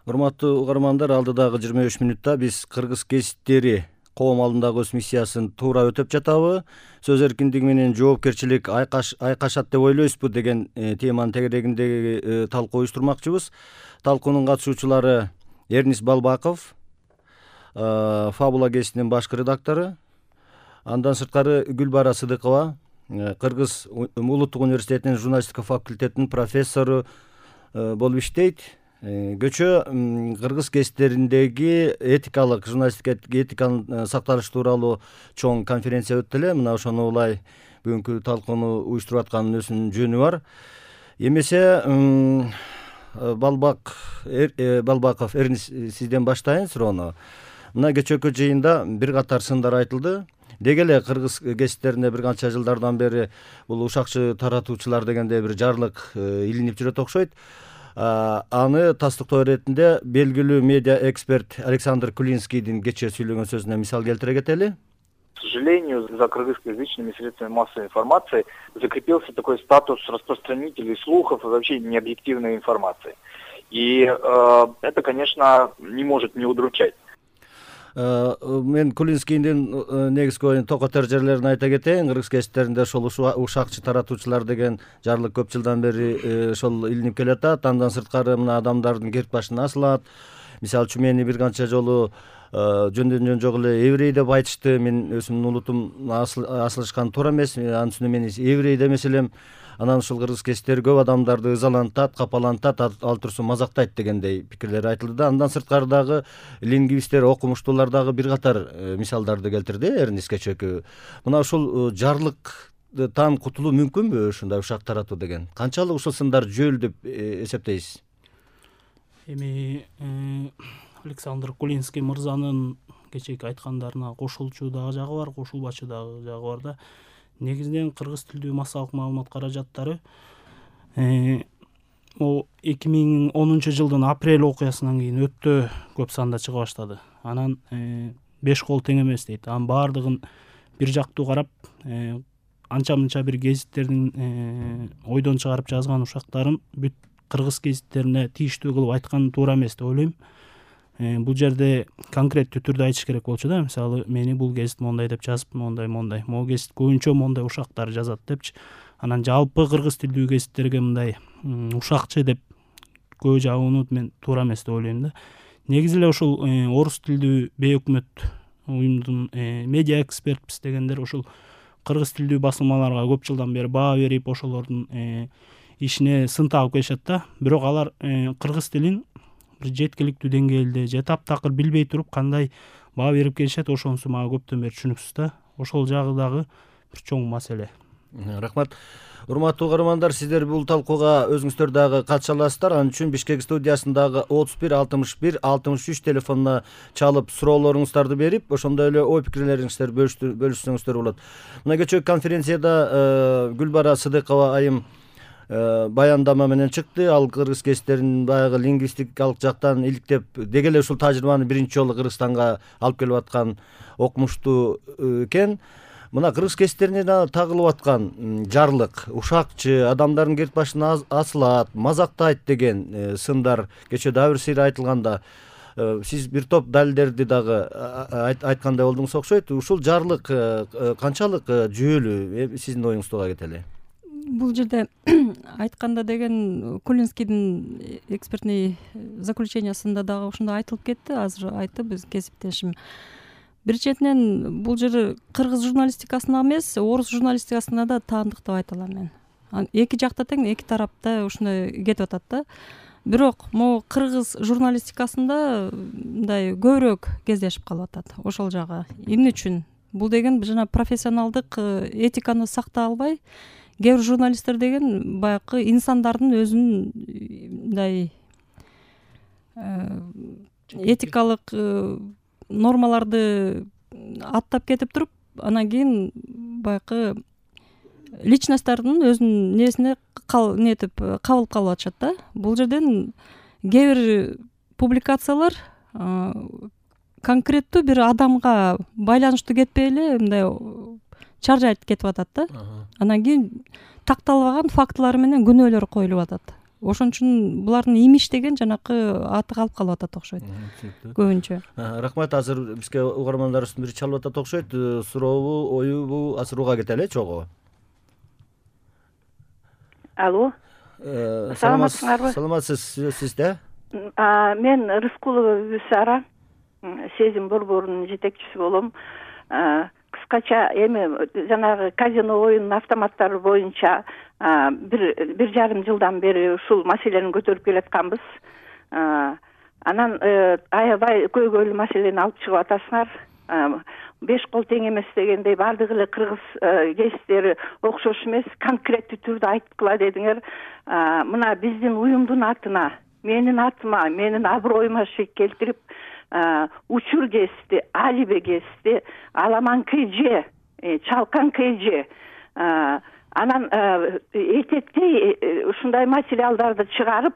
Урматтуу угармандар, алдыдагы 25 мүнөттө биз кыргыз гезиттери коом алдындагы өз миссиясын туура өтөп жатабы, сөз эркиндиги менен жоопкерчилик айкашат деп ойлойсузбу деген теманын тегерегиндеги талкуу уюштурмакчыбыз. Талкуунун катышуучулары Эрнис Балбаков, Фабула гезитинин башкы редактору, андан сырткары Гүлбара Сыдыкова, Кыргыз Улуттук университетинин журналистика факультетинин профессору болуп иштейт. Көчө кыргыз гезиттериндеги этикалык, журналистика этиканын сакталышы тууралуу чоң конференция өттү эле. Мына ошону улай бүгүнкү талкууну уюштуруп атканын өзүнүн жөнү бар. Эмесе Балбаков, Эрнис, сизден баштайын суроону. Мына кечээкү жыйында бир катар сындар айтылды. Деги эле кыргыз гезиттеринде бир канча жылдардан бери бул ушакчы таратуучулар дегенде бир жарлык илинип жүрөт окшойт. Аны тастыктоо иретинде белгилүү медиа эксперт Александр Кулинскийдин кечээ сүйлөгөн сөзүнө мисал келтире кетели. К сожалению, за кыргызскоязычными средствами массовой информации закрепился такой статус распространителей слухов и вообще необъективной информации. И это, конечно, не может не удручать. Мен Кулинскийдин негизги оюн токотор жерлерин айта кетейин. Кыргыз гезиттеринде ошол ушакчы таратуучулар деген жарлык көп жылдан бери ошол илинип келатат. Андан сырткары мына адамдардын керт башына асылат. Мисалы үчүн мени бир канча жолу жөндөн жок эле еврей деп айтышты. Мен өзүмдүн улутум асылышкан туура эмес. Анын үстүнө мен еврей да эмес элем. Анан ушул кыргыз гезиттери көп адамдарды ызалантат, капалантат, ал турсун мазактайт дегендей пикирлер айтылды да. Андан сырткары дагы лингвисттер, окумуштуулар дагы бир катар мисалдарды келтирди. Эрнис кечээкү. Мына ушул жарлыктан кутулуу мүмкүнбү, ушундай ушак таратуу деген? Канчалык ушул сындар жөөл деп эсептейсиз? Эми Александр Кулинский мырзанын кечээки айткандарына кошулчу дагы жагы бар, кошулбачу дагы жагы бар да. Негизинен кыргыз тилдүү массалык маалымат каражаттары 2010 жылдын апрель окуясынан кийин өтө көп санда чыга баштады. Анан 5 кол тең эмес дейт. Анын баардыгын бир жактуу карап, анча-мынча бир гезиттердин ойдон чыгарып жазган ушактарын бүт кыргыз гезиттерине тийиштүү кылып айткан туура эмес деп ойлойм. Бул жерде конкреттүү түрдө айтыш керек болчу да. Мисалы, мени бул гезит мондай деп жазып, мондай. Могу гезит көбүнчө мондай ушактар жазат депчи. Анан жалпы кыргыз тилдүү гезиттерге мындай ушакчы деп көбү жабууну мен туура эмес деп ойлойм да. Негизи эле ушул орус тилдүү бейөкмөт уюмдун медиа экспертпиз дегендер ушул кыргыз тилдүү басылмаларга көп жылдан бери баа берип, ошолордун ишине сын тагып келишет да. Бирок алар кыргыз тилин бир жеткиликтүү деңгээлде же таптакыр билбей туруп кандай баа берип келишет, ошонусу мага көптөн бери түшүнүксүз да. Ошол жагы дагы бир чоң маселе. Рахмат. Урматтуу угармандар, сиздер бул талкууга өзүңүздөр дагы катыша аласыздар. Ал үчүн Бишкек студиясындагы 31 61 63 телефонуна чалып суроолоруңуздарды берип, ошондой эле ой пикирлериңиздерди бөлүшсөңүздөр болот. Мына кечээки конференцияда Гүлбара Сыдыкова айым баяндама менен чыкты. Ал кыргыз гезиттеринин баягы лингвистикалык жактан иликтеп, деги эле ушул тажрыйбаны биринчи жолу Кыргызстанга алып келип аткан окумуштуу экен. Мына кыргыз гезиттерине тагылып аткан жарлык, ушакчы, адамдардын керт башына асылат, мазактайт деген сындар кечээ дагы бир сыйра айтылганда, сиз бир топ далилдерди дагы айткандай болдуңуз окшойт. Ушул жарлык канчалык жүйөлүү, сиздин оюңуз туга кетели? Бул жерде айтканда деген Кулинскийдин экспертный заключениясында дагы ушундай айтылып кетти. Азыр айтты биз кесиптешим. Бир четинен бул жер кыргыз журналистикасына эмес, орус журналистикасына да таандык деп айта алам мен. Эки жакта тең, эки тарапта ушундай кетип атат да. Бирок могу кыргыз журналистикасында мындай көбүрөөк кездешип калып атат ошол жагы. Эмне үчүн? Бул деген жана профессионалдык этиканы сактай албай, кээ бир журналисттер деген баягы инсандардын өзүнүн мындай этикалык нормаларды аттап кетип туруп, анан кийин баягы личносттордун өзүнүн несине кабыл калып атышат да. Бул жерден кээ бир публикациялар конкреттүү бир адамга байланыштуу кетпей эле мындай чаржайт кетип атат да. Анан кийин такталбаган фактылар менен күнөөлөр коюлуп атат. ошон үчүн булардын имиш деген жанакы аты калып калып атат окшойт көбүнчө. Рахмат. Азыр бизге угармандарыбыздын бири чалып атат окшойт. Сурообу, оюбу азыр уга кетели чогуу. Алло. Саламатсыңарбы? Саламатсыз, сизде? Мен Рыскулова Бүсара, сезим борборунун жетекчиси болом. Кыскача эми жанагы казино оюн автоматтары боюнча бир жарым жылдан бери ушул маселени көтөрүп келатканбыз. Анан аябай көйгөйлүү маселени алып чыгып атасыңар. 5 кол тең эмес дегендей баардык эле кыргыз кесиптери окшош эмес, конкреттүү түрдө айткыла дедиңер. Мына биздин уюмдун атына, менин атыма, менин аброюма шек келтирип, Учур кести, Алибе кести, Аламан КЖ, Чалкан КЖ, анан этектей ушундай материалдарды чыгарып,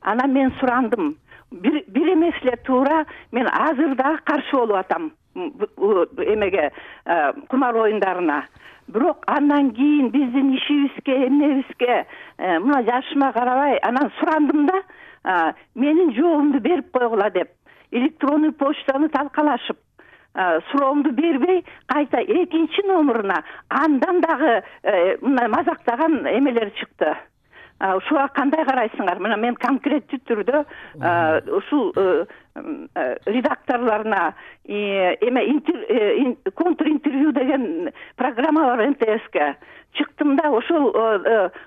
анан мен сурандым. Бир эмес эле туура мен азыр да каршы болуп атам эмеге, кумар оюндарына. Бирок андан кийин биздин ишибизге, эмнебизге, мына жашыма карабай, анан сурандым да, менин жообумду берип койгула деп. Электронный почтаны талкалашып, суроомду бербей, кайта экинчи номуруна андан дагы мына мазактаган эмелер чыкты. Ушуга кандай карайсыңар? Мына мен конкреттүү түрдө ушул редакторлоруна контур интервью деген программа бар МТСке. Чыктым да, ошол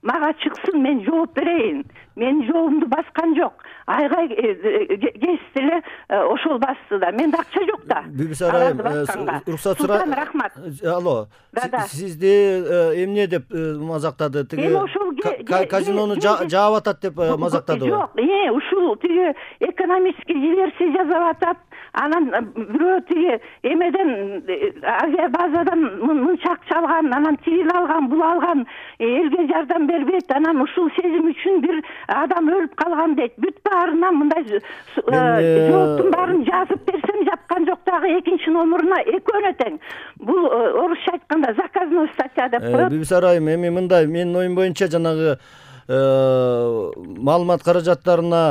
мага чыксын, мен жооп берейин. Мен жообумду баскан жок. Айгай кести эле ошол басты да. Менде акча жок да. Бүбүсара, уруксат сурайм. Рахмат. Алло. Сизди эмне деп мазактады? Тиги казинону жаап атат деп мазактады. Жок, ушул тиги экономический диверсия жасап атат. Анан бирөө тиги эмеден авиабазадан мынча акча алган, анан тигил алган, бул алган, элге жардам бербейт, анан ушул сезим үчүн бир адам өлүп калган дейт. Бүт баарынан мындай жооптун баарын жазып берсем жапкан жок, дагы экинчи номуруна экөөнө тең. Бул орусча айтканда заказной статья деп коет. Бүбүсара айым, эми мындай, менин оюм боюнча жанагы маалымат каражаттарына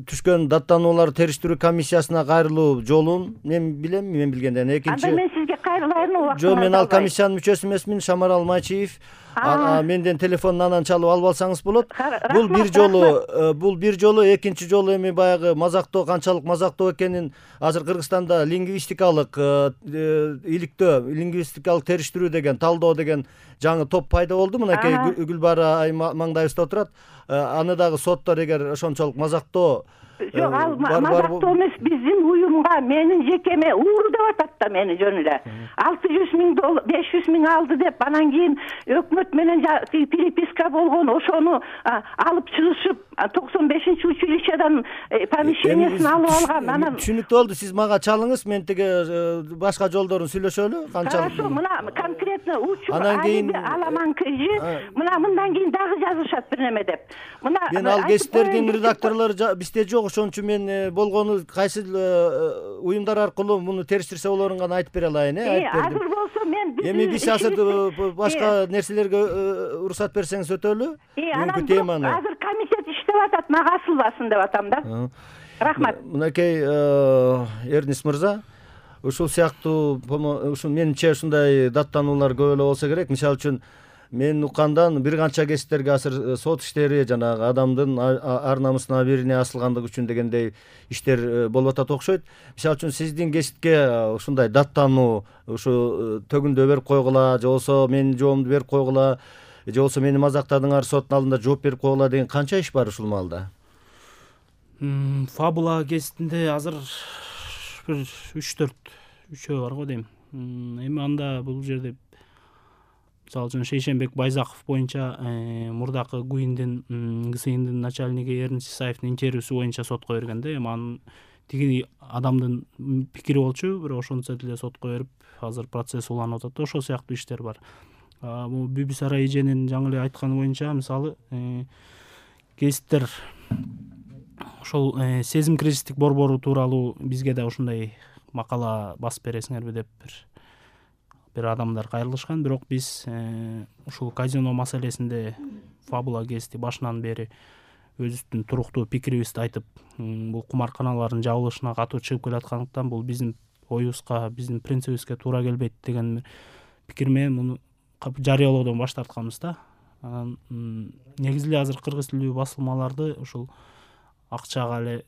түшкөн даттануулар териштирүү комиссиясына кайрылуу жолун мен билем, мен билгенден. Экинчи, анда мен сизге кайрылайын убакыт. Жок, мен ал комиссиянын мүчөсү эмесмин, Шамарал Майчиев. Менден телефондун анан чалып алып алсаңыз болот. Бул бир жолу, экинчи жолу эми баягы мазактоо, канчалык мазактоо экенин азыр Кыргызстанда лингвистикалык иликтөө, лингвистикалык териштирүү деген, талдоо деген жаңы топ пайда болду. Мынакей Гүлбара айым маңдайыбызда отурат. Аны дагы соттор эгер ошончолук мазактоо Жок, ал мазактоо эмес, биздин уюмга, менин жекеме ууру деп атат да мени жөн эле. 600 миң доллар, 500 миң алды деп, анан кийин өкмөт менен переписка болгон, ошону алып чыгышып, 95-училищедан помещениесин алып алган. Анан түшүнүктүү болду. Сиз мага чалыңыз, мен тиги башка жолдорун сүйлөшөлү. Хорошо, мына конкретно учур Аламан КЖ, мына мындан кийин дагы жазышат бир неме деп. Мен ал кесиптердин редакторлору бизде жок, ошон үчүн мен болгону кайсы уюмдар аркылуу муну териштирсе болоорун гана айтып бере алайын. Азыр болсо мен эми биз азыр башка нерселерге уруксат берсеңиз өтөлү. Бүгүнкү теманы. Азыр комитет иштеп атат, мага асылбасын деп атам да. Рахмат. Мынакей Эрнис мырза, ушул сыяктуу ушул менимче ушундай даттануулар көп эле болсо керек. Мисалы үчүн мен уккандан бир канча кесиптерге азыр сот иштери, жанагы адамдын ар намысына бирине асылгандыгы үчүн дегендей иштер болуп атат окшойт. Мисалы үчүн сиздин кесипке ушундай даттануу, ушу төгүндө берип койгула, же болбосо менин жообумду берип койгула, же болбосо мени мазактадыңар, соттун алдында жооп берип койгула деген канча иш бар ушул маалда? Фабула кесипинде азыр бир 3-4 үчөө бар го дейм. Эми анда бул жерде мисалы үчүн Шейшенбек Байзаков боюнча мурдакы ГУИндин ГСИндин начальниги Эрнис Исаевдин интервьюсу боюнча сотко бергенде, эми анын тиги адамдын пикири болчу, бирок ошончо деле сотко берип, азыр процесс уланып атат. Ошол сыяктуу иштер бар. Бул Бүбүсара эженин жаңы эле айтканы боюнча, мисалы кесиптер ошол сезим кризистик борбору тууралуу бизге да ушундай макала басып бересиңерби деп бир адамдар кайрылышкан. Бирок биз ушул казино маселесинде Фабула кести башынан бери өзүбүздүн туруктуу пикирибизди айтып, бул кумарканалардын жабылышына катуу чыгып келаткандыктан бул биздин оюбузга, биздин принцибибизге туура келбейт деген пикир менен муну жарыялоодон баш тартканбыз да. Анан негизи эле азыр кыргыз тилдүү басылмаларды ушул акчага эле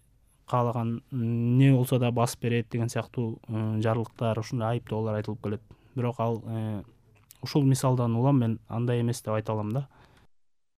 каалаган эмне болсо да басып берет деген сыяктуу жарлыктар, ушундай айыптоолор айтылып келет. Бирок ал ушул мисалдан улам мен андай эмес деп айта алам да.